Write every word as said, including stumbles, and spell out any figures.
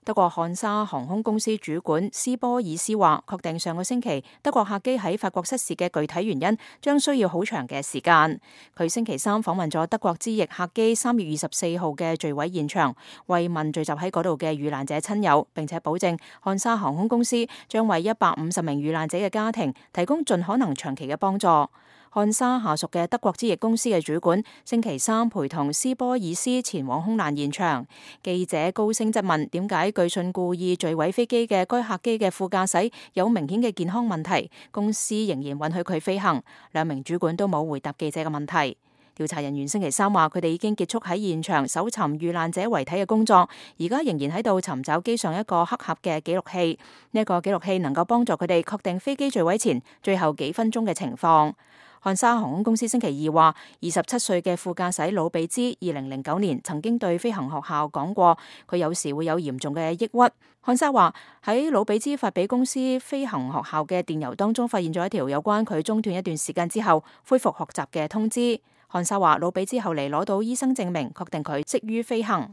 德國漢莎航空公司主管斯波爾斯話，確定上個星期德國客機喺法國失事嘅具體原因，將需要好長嘅時間。佢星期三訪問咗德國之翼客機三月二十四號嘅墜毀現場，慰問聚集喺嗰度嘅遇難者親友，並且保證漢莎航空公司將為一百五十名遇難者嘅家庭提供盡可能長期嘅幫助。漢莎下屬嘅德國之翼公司嘅主管星期三陪同斯波爾斯前往空難現場。記者高聲質問點解據信故意墜毀飛機嘅該客機嘅副駕駛有明顯嘅健康問題，公司仍然允許佢飛行。兩名主管都冇回答記者嘅問題。調查人員星期三話，佢哋已經結束喺現場搜尋遇難者遺體嘅工作，而家仍然喺度尋找機上一個黑盒嘅記錄器。呢一個記錄器能夠幫助佢哋確定飛機墜毀前最後幾分鐘嘅情況。漢莎航空公司星期二話，二十七歲嘅副駕駛魯比茲二零零九年曾經對飛行學校講過，佢有時會有嚴重嘅抑鬱。漢莎話喺魯比茲發俾公司飛行學校嘅電郵當中，發現咗一條有關佢中斷一段時間之後恢復學習嘅通知。漢莎話魯比茲後嚟攞到醫生證明，確定佢適於飛行。